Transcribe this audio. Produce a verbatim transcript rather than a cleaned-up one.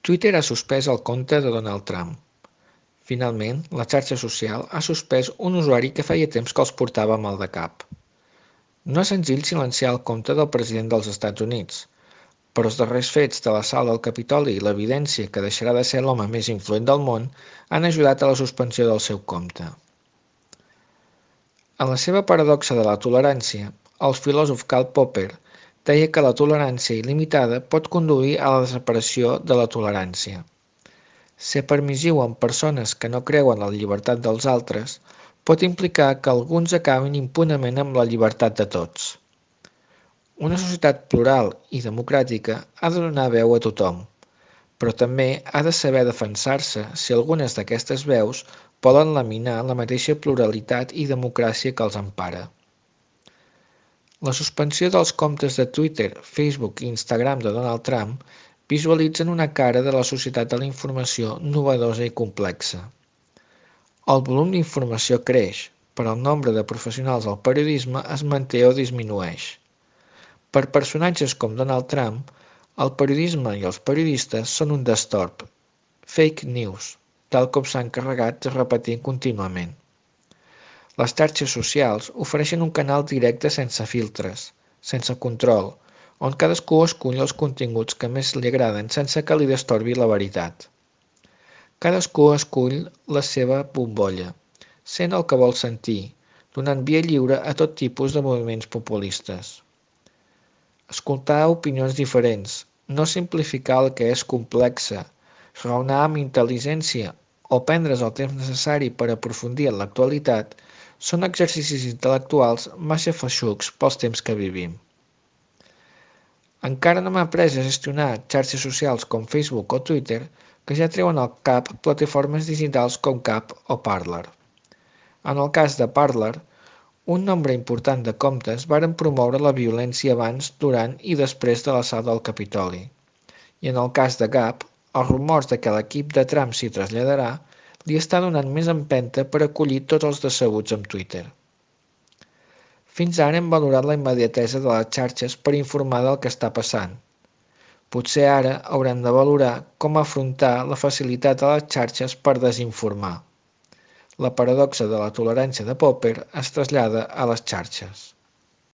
Twitter ha suspès el compte de Donald Trump. Finalment, la xarxa social ha suspès un usuari que feia temps que els portava mal de cap. No és senzill silenciar el compte del president dels Estats Units, però els darrers fets de l'assalt al Capitoli i l'evidència que deixarà de ser l'home més influent del món han ajudat a la suspensió del seu compte. En la seva paradoxa de la tolerància, el filòsof Karl Popper deia que la tolerància il·limitada pot conduir a la desaparició de la tolerància. Ser permissiu amb persones que no creuen en la llibertat dels altres pot implicar que alguns acabin impunement amb la llibertat de tots. Una societat plural i democràtica ha de donar veu a tothom, però també ha de saber defensar-se si algunes d'aquestes veus poden laminar la mateixa pluralitat i democràcia que els empara. La suspensió dels comptes de Twitter, Facebook i Instagram de Donald Trump visualitzen una cara de la societat de la informació novedosa i complexa. El volum d'informació creix, però el nombre de professionals al periodisme es manté o disminueix. Per personatges com Donald Trump, el periodisme i els periodistes són un destorb, fake news, tal com s'han encarregat de repetir contínuament. Les xarxes socials ofereixen un canal directe sense filtres, sense control, on cadascú escull els continguts que més li agraden sense que li destorbi la veritat. Cadascú escull la seva bombolla, sent el que vol sentir, donant via lliure a tot tipus de moviments populistes. Escoltar opinions diferents, no simplificar el que és complexe, raonar amb intel·ligència o prendre's el temps necessari per aprofundir en l'actualitat són exercicis intel·lectuals massa feixucs pels temps que vivim. Encara no m'ha après a gestionar xarxes socials com Facebook o Twitter que ja treuen al cap plataformes digitals com Gab o Parler. En el cas de Parler, un nombre important de comptes varen promoure la violència abans, durant i després de l'assalt al Capitoli. I en el cas de Gab, els rumors de que l'equip de Trump s'hi traslladarà li està donant més empenta per acollir tots els decebuts amb Twitter. Fins ara hem valorat la immediatesa de les xarxes per informar del que està passant. Potser ara haurem de valorar com afrontar la facilitat de les xarxes per desinformar. La paradoxa de la tolerància de Popper es trasllada a les xarxes.